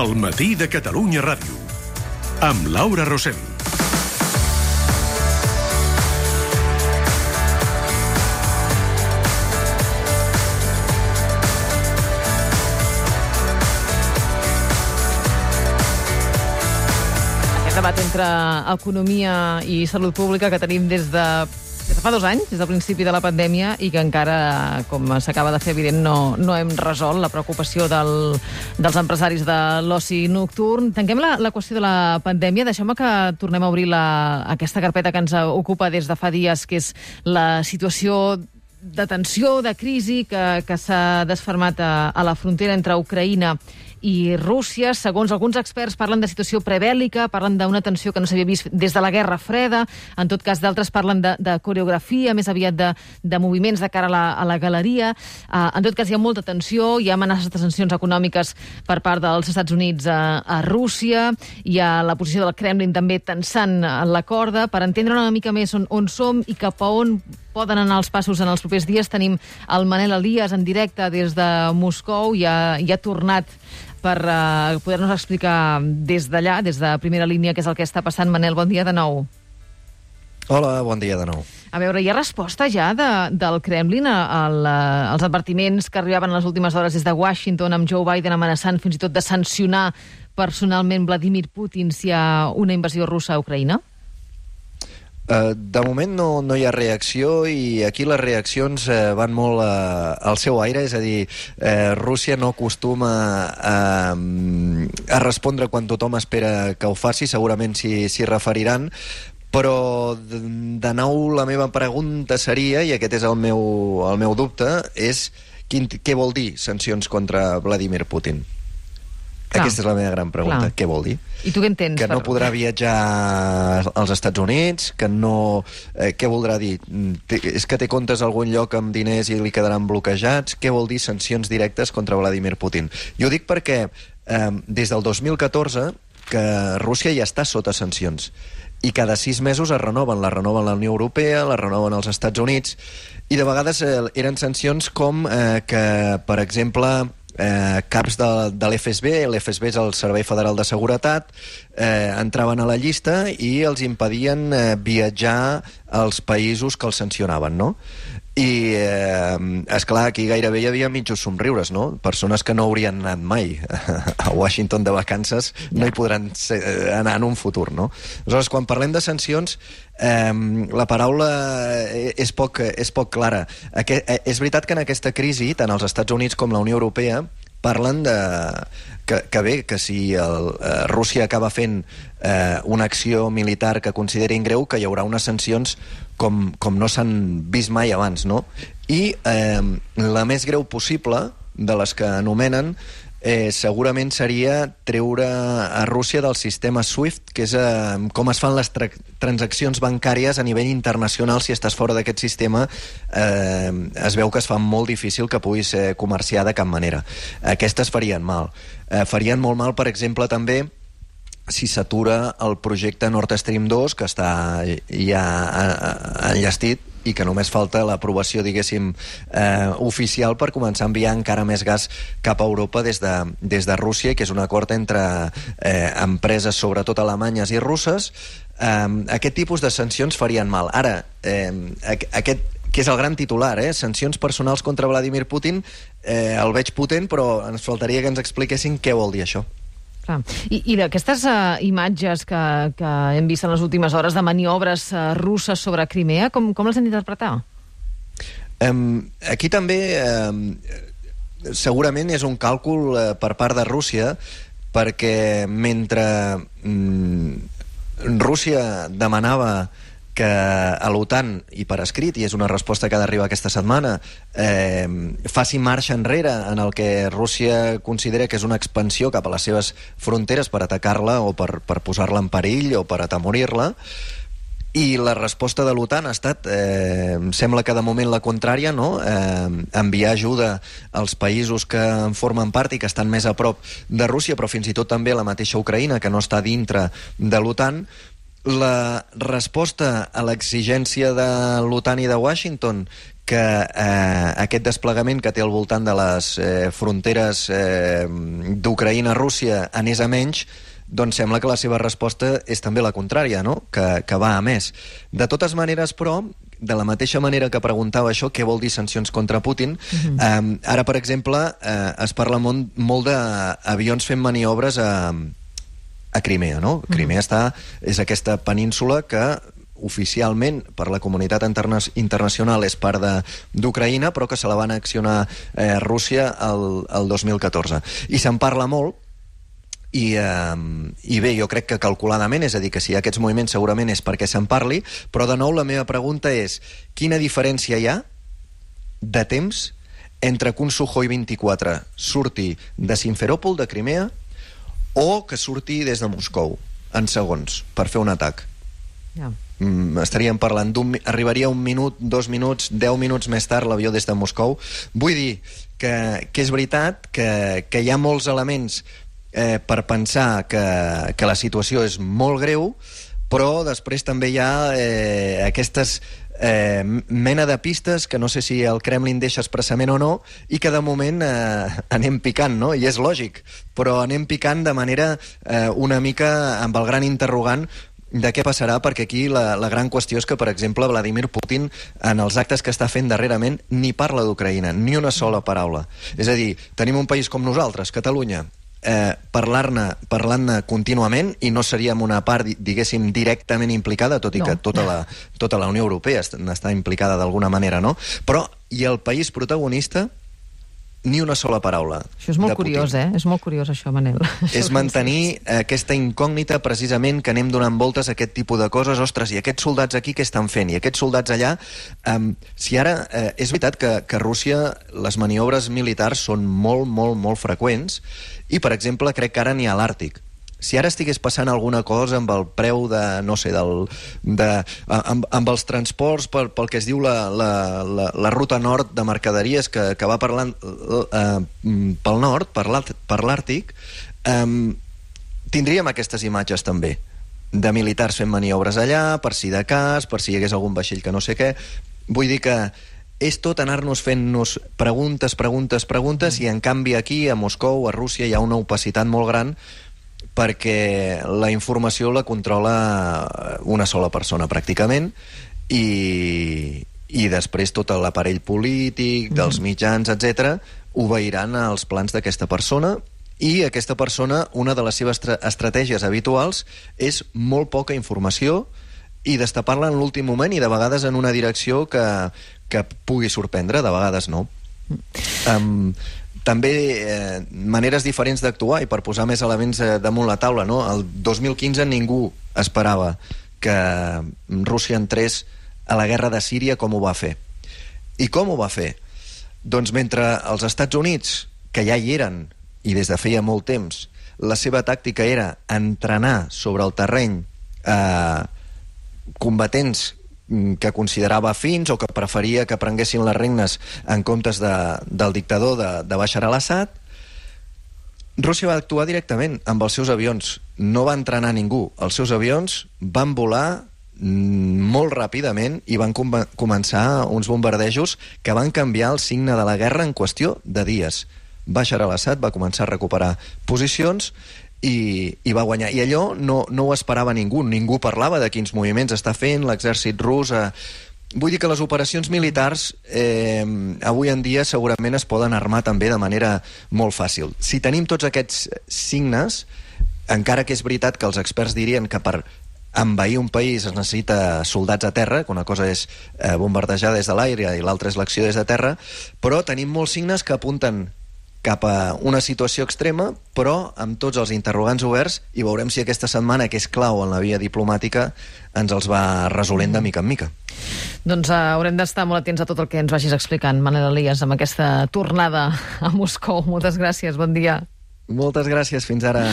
El matí de Catalunya Ràdio, amb Laura Rosell. Aquest debat entre economia i salut pública que tenim des de fa 2 anys, des del principi de la pandèmia, i que encara, com s'acaba de fer evident, no hem resolt la preocupació dels empresaris de l'oci nocturn. Tanquem la qüestió de la pandèmia. Deixeu-me que tornem a obrir aquesta carpeta que ens ocupa des de fa dies, que és la situació de tensió, de crisi que s'ha desfermat a la frontera entre Ucraïna i Rússia. Segons alguns experts, parlen de situació prebèl·lica, parlen d'una tensió que no s'havia vist des de la Guerra Freda. En tot cas, d'altres parlen de coreografia, més aviat de moviments de cara a la galeria. En tot cas, hi ha molta tensió, hi ha amenaces de sancions econòmiques per part dels Estats Units a Rússia, hi ha la posició del Kremlin també tensant la corda. Per entendre una mica més on som i cap a on poden anar els passos en els propers dies, tenim el Manel Elias en directe des de Moscou, i ha tornat per poder-nos explicar des d'allà, des de primera línia, què és el que està passant. Manel, bon dia de nou. Hola, bon dia de nou. A veure, hi ha resposta ja del Kremlin als advertiments que arribaven a les últimes hores des de Washington, amb Joe Biden amenaçant fins i tot de sancionar personalment Vladimir Putin si hi ha una invasió russa a Ucraïna? De moment no hi ha reacció, i aquí les reaccions van molt al seu aire, és a dir, Rússia no acostuma a respondre quan tothom espera que ho faci, segurament s'hi referiran, però de nou la meva pregunta seria, i aquest és el meu dubte, és què vol dir sancions contra Vladimir Putin? Aquesta és la meva gran pregunta. Què vol dir? I tu què entens? Que no podrà viatjar als Estats Units? Que no... Què voldrà dir? És que té comptes a algun lloc amb diners i li quedaran bloquejats? Què vol dir sancions directes contra Vladimir Putin? Jo dic perquè des del 2014 que Rússia ja està sota sancions, i cada 6 mesos es renoven. La renoven la Unió Europea, la renoven els Estats Units, i de vegades eren sancions com que, per exemple, caps de l'FSB, l'FSB és el Servei Federal de Seguretat, entraven a la llista i els impedien viatjar als països que els sancionaven, no? I, esclar, aquí gairebé hi havia mitjos somriures, no? Persones que no haurien anat mai a Washington de vacances no hi podran anar en un futur, no? Aleshores, quan parlem de sancions, la paraula és poc clara. És veritat que en aquesta crisi, tant els Estats Units com la Unió Europea parlen que si Rússia acaba fent una acció militar que considerin greu, que hi haurà unes sancions com no s'han vist mai abans, no? I la més greu possible, de les que anomenen, segurament seria treure a Rússia del sistema SWIFT, que és com es fan les transaccions bancàries a nivell internacional. Si estàs fora d'aquest sistema, es veu que es fa molt difícil que puguis comerciar de cap manera. Aquestes farien mal. Farien molt mal, per exemple, també si s'atura el projecte Nord Stream 2, que està ja enllestit, i que només falta l'aprovació, diguéssim, oficial per començar a enviar encara més gas cap a Europa des de Rússia, que és un acord entre empreses, sobretot alemanyes i russes. Aquest tipus de sancions farien mal. Ara, aquest que és el gran titular, sancions personals contra Vladimir Putin, el veig potent, però ens faltaria que ens expliquessin què vol dir això. I d'aquestes imatges que hem vist en les últimes hores de maniobres russes sobre Crimea, com les hem d'interpretar? Aquí també segurament és un càlcul per part de Rússia, perquè mentre Rússia demanava que a l'OTAN, i per escrit, i és una resposta que ha d'arribar aquesta setmana, faci marxa enrere en el que Rússia considera que és una expansió cap a les seves fronteres per atacar-la o per posar-la en perill o per atemorir-la, i la resposta de l'OTAN ha estat, sembla que de moment la contrària, no? Enviar ajuda als països que en formen part i que estan més a prop de Rússia, però fins i tot també la mateixa Ucraïna, que no està dintre de l'OTAN. la resposta a l'exigència de l'OTAN i de Washington que aquest desplegament que té al voltant de les fronteres d'Ucraïna-Rússia anés a menys, doncs sembla que la seva resposta és també la contrària, no? Que va a més. De totes maneres, però, de la mateixa manera que preguntava això, què vol dir sancions contra Putin, ara, per exemple, es parla molt d'avions fent maniobres a Crimea, no? Crimea és aquesta península que oficialment per la comunitat internacional és part d'Ucraïna, però que se la va annexionar Rússia el 2014. I se'n parla molt, i bé, jo crec que calculadament, és a dir, que si hi ha aquests moviments segurament és perquè se'n parli, però de nou la meva pregunta és quina diferència hi ha de temps entre que un Sukhoi 24 surti de Simferòpol, de Crimea, o que surti des de Moscou, en segons, per fer un atac. Estaríem parlant arribaria 1 minut, 2 minuts, 10 minuts més tard l'avió des de Moscou. Vull dir que és veritat que hi ha molts elements per pensar que la situació és molt greu, però després també hi ha aquestes mena de pistes que no sé si el Kremlin deixa expressament o no, i que de moment anem picant, no? I és lògic, però anem picant de manera una mica amb el gran interrogant de què passarà, perquè aquí la gran qüestió és que, per exemple, Vladimir Putin, en els actes que està fent darrerament, ni parla d'Ucraïna, ni una sola paraula. És a dir, tenim un país com nosaltres, Catalunya, parlant-ne contínuament, i no seríem una part, diguéssim, directament implicada, tot i que tota la Unió Europea està implicada d'alguna manera, no? Però, i el país protagonista, ni una sola paraula. Això és molt curiós, És molt curiós, això, Manel. És mantenir aquesta incògnita, precisament, que anem donant voltes a aquest tipus de coses. Ostres, i aquests soldats aquí què estan fent? I aquests soldats allà... Si ara... És veritat que a Rússia les maniobres militars són molt, molt, molt freqüents, i, per exemple, crec que ara n'hi ha a l'Àrtic. Si ara estigués passant alguna cosa amb el preu de, no sé, amb els transports pel que es diu la ruta nord de mercaderies que va parlant pel nord, per l'Àrtic, tindríem aquestes imatges també de militars fent maniobres allà, per si de cas, per si hi hagués algun vaixell que no sé què. Vull dir que és tot anar-nos fent-nos preguntes, i en canvi aquí, a Moscou, a Rússia, hi ha una opacitat molt gran, perquè la informació la controla una sola persona, pràcticament, i després tot l'aparell polític, dels mitjans, etc., obeiran als plans d'aquesta persona, i aquesta persona, una de les seves estratègies habituals és molt poca informació i destapar-la en l'últim moment, i de vegades en una direcció que pugui sorprendre, de vegades no. També maneres diferents d'actuar, i per posar més elements damunt la taula, no? El 2015 ningú esperava que Rússia entrés a la guerra de Síria com ho va fer. I com ho va fer? Doncs mentre els Estats Units, que ja hi eren, i des de feia molt temps, la seva tàctica era entrenar sobre el terreny combatents que considerava afins o que preferia que prenguessin les regnes en comptes del dictador de Bashar al-Assad, Rússia va actuar directament amb els seus avions. No va entrenar ningú. Els seus avions van volar molt ràpidament i van començar uns bombardejos que van canviar el signe de la guerra en qüestió de dies. Bashar al-Assad va començar a recuperar posicions i va guanyar. I allò no ho esperava ningú. Ningú parlava de quins moviments està fent l'exèrcit rus. Vull dir que les operacions militars avui en dia segurament es poden armar també de manera molt fàcil. Si tenim tots aquests signes, encara que és veritat que els experts dirien que per envair un país es necessita soldats a terra, que una cosa és bombardejar des de l'aire i l'altra és l'acció des de terra, però tenim molts signes que apunten cap a una situació extrema, però amb tots els interrogants oberts, i veurem si aquesta setmana, que és clau en la via diplomàtica, ens els va resolent de mica en mica. Doncs haurem d'estar molt atents a tot el que ens vagis explicant, Manel Elias, amb aquesta tornada a Moscou. Moltes gràcies, bon dia. Moltes gràcies, fins ara.